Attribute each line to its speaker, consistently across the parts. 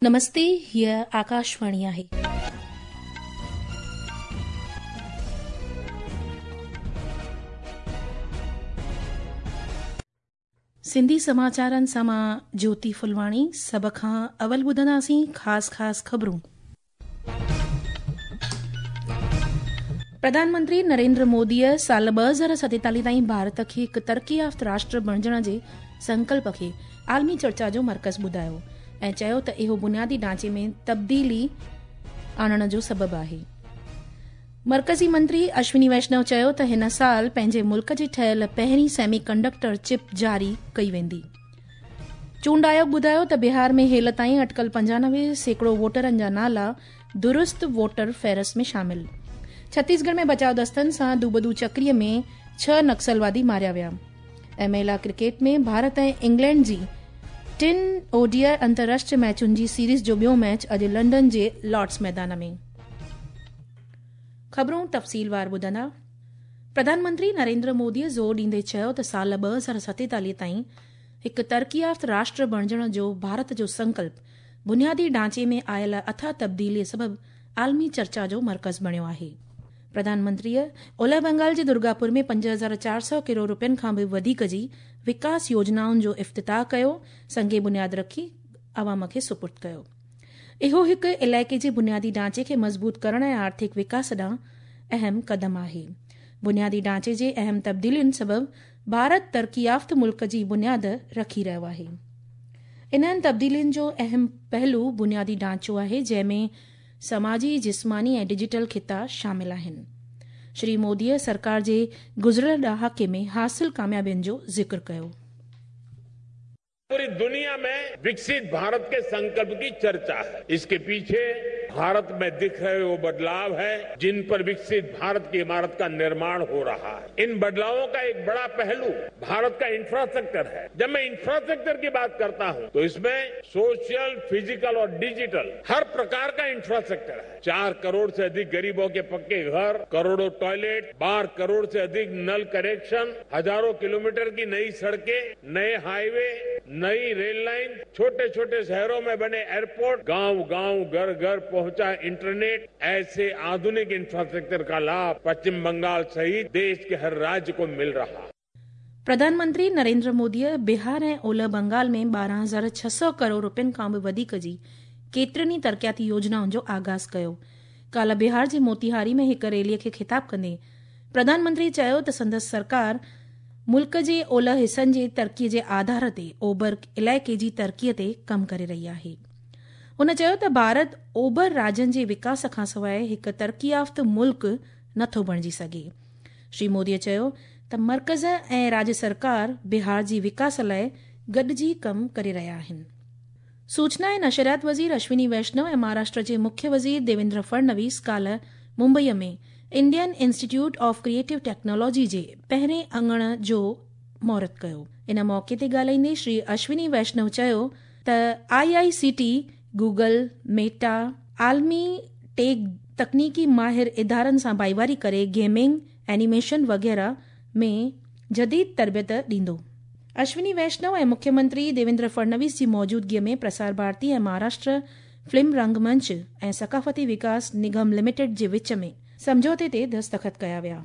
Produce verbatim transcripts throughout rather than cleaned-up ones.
Speaker 1: नमस्ते, हीअ आकाशवाणी आहे. सिंधी समाचारनि सां मां ज्योति फुलवाणी। सभ खां अवल ॿुधंदासीं ख़ासि ख़ासि ख़बरूं। प्रधानमंत्री नरेंद्र मोदीअ साल ॿ हज़ार सतेतालीह ताईं भारत खे हिकु तरक़ी याफ़्त राष्ट्र बणिजण जे संकल्प खे आलमी चर्चा जो मर्कज़ ॿुधायो ऐं चयो त इहो बुनियादी ढांचे में तब्दीली आणण जो सबबु आहे। मर्कज़ी मंत्री अश्विनी वैष्णव चयो त हिन साल पंहिंजे मुल्क जी ठहियल पहिरीं सेमी कंडक्टर चिप जारी कई वेंदी। चूंड आयोग ॿुधायो त बिहार में हेल ताईं अटकल पंजानवे सैकड़ो वोटरनि जा नाला दुरुस्त वोटर फ़हरिस्त में शामिल। छत्तीसगढ़ में बचाव दस्तनि सां दूबदू चक्रीअ में छह नक्सलवादी मारिया विया। ऐं महिला क्रिकेट में भारत ऐं इंग्लैंड जी टिनि ओडीआई अंतर्राष्ट्रीय मैचुनि जी सीरीज़ जो ॿियो मैच अॼु लंदन जे लॉर्ड्स मैदान में। ख़बरूं तफ़सीलवार ॿुधंदा। प्रधानमंत्री नरेंद्र मोदीअ ज़ोर ॾींदे चयो त साल ॿ हज़ार सतेतालीह ताईं हिकु तरक़ी याफ़्त राष्ट्र बणिजण जो भारत जो संकल्प बुनियादी ढांचे में आयल अथाह तब्दीलीअ सबबु आलमी चर्चा जो मर्कज़ बणियो आहे। प्रधानमंत्रीअ ओलह बंगाल जे दुर्गापुर में पंज हज़ार चारि सौ करोड़ रुपयनि खां बि वधीक जी विकास योजनाउनि जो इफ़्तिताह कयो, संगे बुनियाद रखी आवाम खे सुपुर्द कयो। इहो हिकु इलाइक़े जे बुनियादी ढांचे खे मज़बूत करण ऐं आर्थिक विकास ॾांहुं अहम कदम आहे। बुनियादी ढांचे जे अहम तब्दीलियुनि सबबु भारत तरक़ी याफ़्त मुल्क जी बुनियाद रखी रहियो आहे। इन्हनि तब्दीलियुनि जो अहम पहलू बुनियादी ढांचो आहे, जंहिंमें समाजी, जिस्मानी ऐं डिजिटल ख़िता शामिल आहिनि। श्री मोदीअ सरकार जे गुज़िरियल ॾहाके में हासिल कामयाबियुनि जो ज़िक्र कयो।
Speaker 2: पूरी दुनिया में विकसित भारत के संकल्प की चर्चा है। इसके पीछे भारत में दिख रहे वो बदलाव है जिन पर विकसित भारत की इमारत का निर्माण हो रहा है। इन बदलावों का एक बड़ा पहलू भारत का इंफ्रास्ट्रक्चर है। जब मैं इंफ्रास्ट्रक्चर की बात करता हूं तो इसमें सोशल, फिजिकल और डिजिटल हर प्रकार का इंफ्रास्ट्रक्चर है। चार करोड़ से अधिक गरीबों के पक्के घर, करोड़ों टॉयलेट, बारह करोड़ से अधिक नल कनेक्शन, हजारों किलोमीटर की नई सड़कें, नए हाईवे, नई रेल लाइन, छोटे छोटे शहरों में बने एयरपोर्ट, गांव गांव, घर घर पहुंचा इंटरनेट। ऐसे आधुनिक इंफ्रास्ट्रक्चर का लाभ पश्चिम बंगाल सहित देश के हर राज्य को मिल रहा है।
Speaker 1: प्रधानमंत्री नरेंद्र मोदीअ बिहार ऐं ओलह बंगाल में ॿारहं हज़ार छह सौ करोड़ रुपयनि खां बि वधीक जी केतिरनि ई तरक़ियाती योजनाउनि जो आगाज़ कयो। काल्ह बिहार जे मोतिहारी में हिकु रैलीअ खे ख़िताब कंदे प्रधानमंत्री चयो त संदसि सरकार मुल्क जे ओलह हिसनि जे तरक़ीअ जे आधार ते ओभर इलाइक़े जी तरक़ीअ ते कमु करे रही आहे। हुन चयो त भारत ओभर राज्यनि जे विकास खां सवाइ हिकु तरक़ी याफ़्त मुल्क नथो बणिजी सघे। श्री मोदीअ चयो त मर्कज़ ऐं राज्य सरकार बिहार जी विकास लाइ गॾिजी कमु करे रहिया आहिनि। सूचना ऐं नशरियात वज़ीर अश्विनी वैष्णव ऐं महाराष्ट्र जे मुख्य वज़ीर देवेंद्र फडणवीस काल्ह मुंबईअ में Indian Institute of Creative Technology जे पहिरें अंगण जो मुहूर्त कयो। इन मौक़े ते ॻाल्हाईंदे श्री अश्विनी वैष्णव चयो त I I C T, Google, Meta, आलमी टेक तकनीकी माहिर इदारनि सां भाईवारी करे गेमिंग, एनिमेशन वग़ैरह में जदीद तरबियत ॾींदो। अश्विनी वैष्णव ऐं मुख्यमंत्री देवेंद्र फडणवीस जी मौजूदगीअ में प्रसार भारती ऐं महाराष्ट्र फिल्म रंगमंच ऐं सकाफ़ती विकास निगम लिमिटेड जे विच में समझौते ते दस्तख़त कया विया।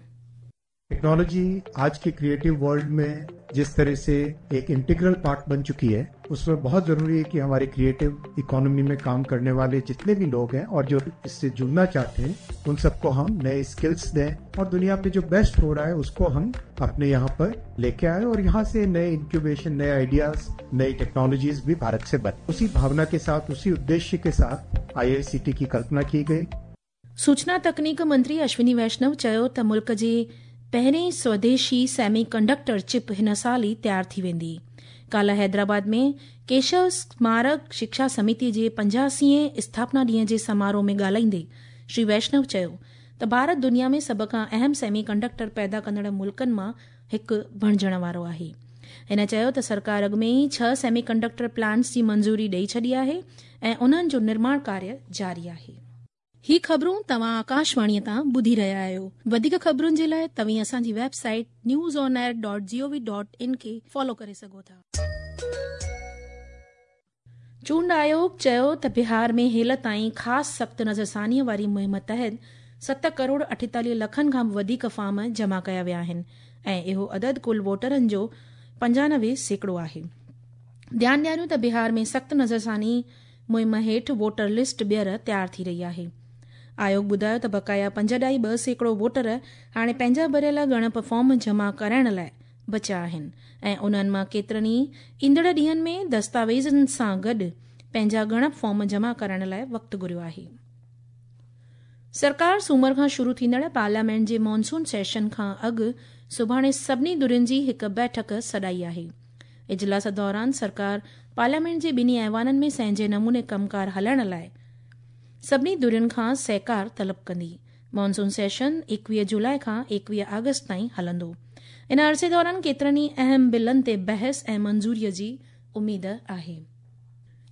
Speaker 3: टेक्नोलॉजी आज के क्रिएटिव वर्ल्ड में जिस तरह से एक इंटीग्रल पार्ट बन चुकी है, उसमें बहुत जरूरी है कि हमारे क्रिएटिव इकोनॉमी में काम करने वाले जितने भी लोग हैं और जो इससे जुड़ना चाहते हैं, उन सबको हम नए स्किल्स दें और दुनिया में जो बेस्ट हो रहा है उसको हम अपने यहाँ पर लेके आए और यहाँ से नए इंक्यूबेशन, नए आइडियाज, नई टेक्नोलॉजीज भी भारत से बने। उसी भावना के साथ, उसी उद्देश्य के साथ आई आई सी टी की कल्पना की गई।
Speaker 1: सूचना तकनीक मंत्री अश्विनी वैष्णव चयो त मुल्क जे पहिरीं स्वदेशी सेमी कंडक्टर चिप हिन साल ई तयार थी वेंदी। काल्ह हैदराबाद में केशव स्मारक शिक्षा समिति जे पंजासीअ स्थापना ॾींहं जे समारोह में ॻाल्हाईंदे श्री वैष्णव चयो त भारत दुनिया में सभ खां अहम सेमी कंडक्टर पैदा कंदड़ मुल्कनि मां हिकु बणिजण वारो आहे। हिन चयो त सरकार अॻु में ई छह सेमी कंडक्टर प्लांट्स जी मंज़ूरी ॾेई छॾी आहे ऐं उन्हनि जो निर्माण कार्य जारी आहे। ही ख़बरूं तव्हां आकाशवाणीअ तां ॿुधी रहिया आहियो। वधीक ख़बरुनि जे लाइ तव्हीं असांजी website news on air dot G O V dot in खे फॉलो करे सघो था। चूंड आयोग चयो त बिहार में हेल ताईं ख़ासि सख़्त नज़रसानीअ वारी मुहिम तहत सत करोड़ अठेतालीह लखनि खां बि वधीक फॉर्म जमा कया विया आहिनि ऐं इहो अदद कुल वोटरनि जो पंजानवे सैकड़ो आहे। ध्यानु ॾियारियूं त बिहार में सख़्त नज़रसानी मुहिम हेठि वोटर लिस्ट ॿीहर तयारु थी रही आहे। आयोग ॿुधायो त बक़ाया पंज ॾाई ॿ सैकड़ो वोटर हाणे पंहिंजा भरियल ॻणप फॉर्म जमा कराइण लाइ बचिया आहिनि ऐं उन्हनि मां केतिरनि ई ईंदड़ ॾींहंनि में दस्तावेज़नि सां गॾु पंहिंजा ॻणप फॉर्म जमा कराइण लाइ वक़्तु घुरियो आहे। सरकार सूमर खां शुरू थींदड़ पार्लियामेंट जे मॉनसून सेशन खां अॻु सुभाणे सभिनी धुरियुनि जी हिकु बैठक सॾाई आहे। इजलास दौरान सरकार पार्लियामेंट जे ॿिन्ही ऐवाननि में संहिंजे नमूने कमकार हलाइण लाइ सभिनी धुरियुनि खां सहकार तलब कंदी। मॉनसून सेशन एकवीह जुलाई खां एकवीह अगस्त ताईं हलंदो। इन अरसे दौरान केतिरनि ई अहम बिलनि ते बहस ऐं मंज़ूरीअ जी उमेद आहे।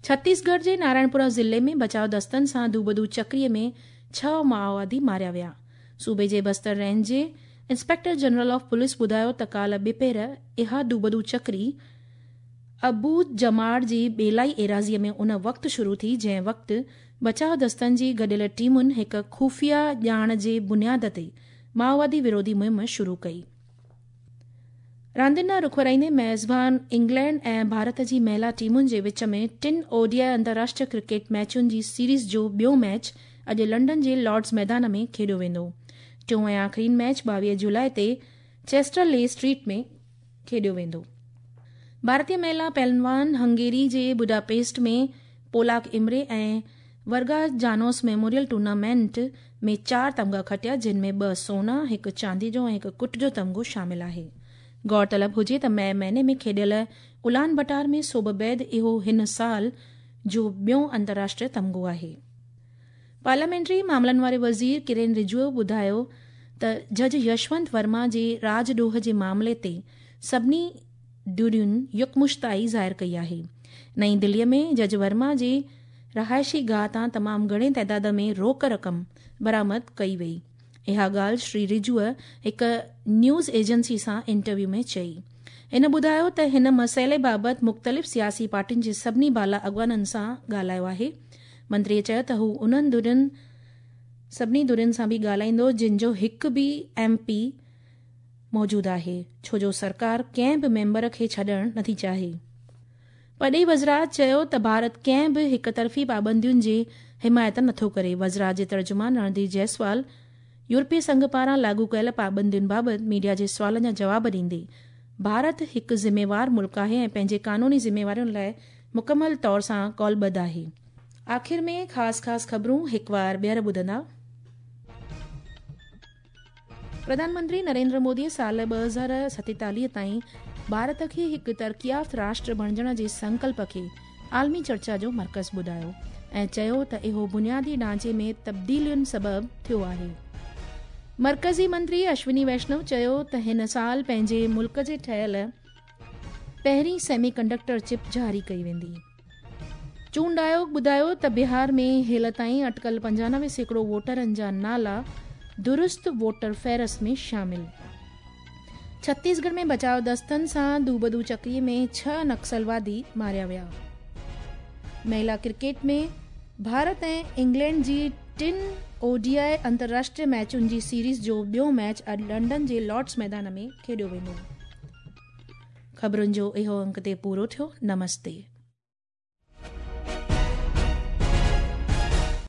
Speaker 1: छत्तीसगढ़ जे नारायणपुरा ज़िले में बचाव दस्तनि सां दूबदू चक्रीअ में छह माओवादी मारिया विया। सूबे जे बस्तर रेंज जे इंस्पेक्टर जनरल ऑफ पुलिस ॿुधायो त काल्ह ॿिपहर इहा दूबदू चक्री अबू जमाड़ जी बेलाई एराज़ीअ में उन वक़्तु शुरू थी जंहिं वक़्तु बचाव दस्तनि जी गॾियल टीमुनि हिकु ख़ुफ़िया ॼाण जे बुनियाद ते माओवादी विरोधी मुहिम शुरू कई। रांदियुनि ॾांहुं रुख वराईंदे मेज़बान इंग्लैंड ऐं भारत जी महिला टीमुनि जे विच में टिनि ओडीआई अंतर्राष्ट्रीय क्रिकेट मैचुनि जी सीरीज़ जो ॿियो मैच अॼु लंडन जे लॉर्ड्स मैदान में खेॾियो वेंदो। टियों ऐं आख़िरी मैच ॿावीह जुलाई ते चेस्टर ले स्ट्रीट में खेॾियो वेंदो। भारतीय महिला पहलवान हंगेरी जे बुडापेस्ट में पोलाक इमरे ऐं वर्गा जानोस मेमोरियल टूर्नामेंट में चारि तमगा खटिया, जिन में ॿ सोना, हिकु चांदी जो ऐं हिकु कुट जो तमगो शामिल आहे। गौरतलब हुजे त मई महीने में खेॾियल उलान बटार में सोब बैद इहो हिन साल जो ॿियो अंतर्राष्ट्रीय तमगो आहे। पार्लियामेंट्री मामलनि वारे वज़ीर किरेन रिजिजू ॿुधायो त जज यशवंत वर्मा जे राजडोह जे मामले ते सभिनी धुरियुनि यकमुश्ताई ज़ाहिर कई आहे। नई दिल्लीअ में जज वर्मा जे रहाइशी गाह तां तमामु घणे ताइदाद में रोक रक़म बरामद कई वई। इहा ॻाल्हि श्री रिजिजूअ हिकु न्यूज़ एजेंसी सां इंटरव्यू में चई। हिन ॿुधायो त हिन मसइले बाबति मुख़्तलिफ़ सियासी पार्टियुनि जे सभिनी बाला अॻवाननि सां ॻाल्हायो आहे। मंत्रीअ चयो त हू उन्हनि धुरियुनि सभिनी धुरियुनि सां बि ॻाल्हाईंदो जिन जो हिकु बि एम पी मौजूदु आहे, छो जो सरकार कंहिं बि मेंबर खे छॾणु नथी चाहे। पॾेही वज़रात चयो त भारत कंहिं बि हिकु तरफ़ी पाबंदियुनि जी हिमायत नथो करे। वज़रात जे तर्जुमान रणधीर जायसवाल यूरोपीय संघ पारां लागू कयल पाबंदियुनि बाबति मीडिया जे सुवालनि जा जवाब ॾींदे भारत हिकु ज़िम्मेवार मुल्क आहे ऐं पंहिंजे कानूनी ज़िम्मेवारियुनि लाइ मुकमल तौर सां कौलबद्ध आहे। आख़िर में ख़ासि ख़ासि ख़बरूं हिकु वार ॿीहर ॿुधंदा। प्रधानमंत्री नरेंद्र मोदीअ साल ॿ हज़ार सतेतालीह ताईं भारत खे हिकु तरक़ियाफ़्त राष्ट्र बणिजण जे संकल्प खे आलमी चर्चा जो मर्कज़ ॿुधायो ऐं चयो त इहो बुनियादी ढांचे में तब्दीलियुनि सबबु थियो आहे। मर्कज़ी मंत्री अश्विनी वैष्णव चयो त हिन साल पंहिंजे मुल्क जे ठहियल पहिरीं सेमी कंडक्टर चिप जारी कई वेंदी। चूंड आयोग ॿुधायो त बिहार में हेल ताईं अटकल पंजानवे सैकड़ो वोटरनि जा नाला दुरुस्त वोटर फ़हरिस्त में शामिल। छत्तीसगढ़ में बचाव दस्तनि सां दूबदू चक्रीअ में छह नक्सलवादी मारिया विया। महिला क्रिकेट में भारत ऐं इंग्लैंड जी टिनि ओडीआई अंतर्राष्ट्रीय मैचुनि जी सीरीज़ जो ॿियो मैच अॼु लंडन जे लॉर्ड्स मैदान में खेॾियो वेंदो। ख़बरुनि जो इहो अंक ते पूरो थियो। नमस्ते।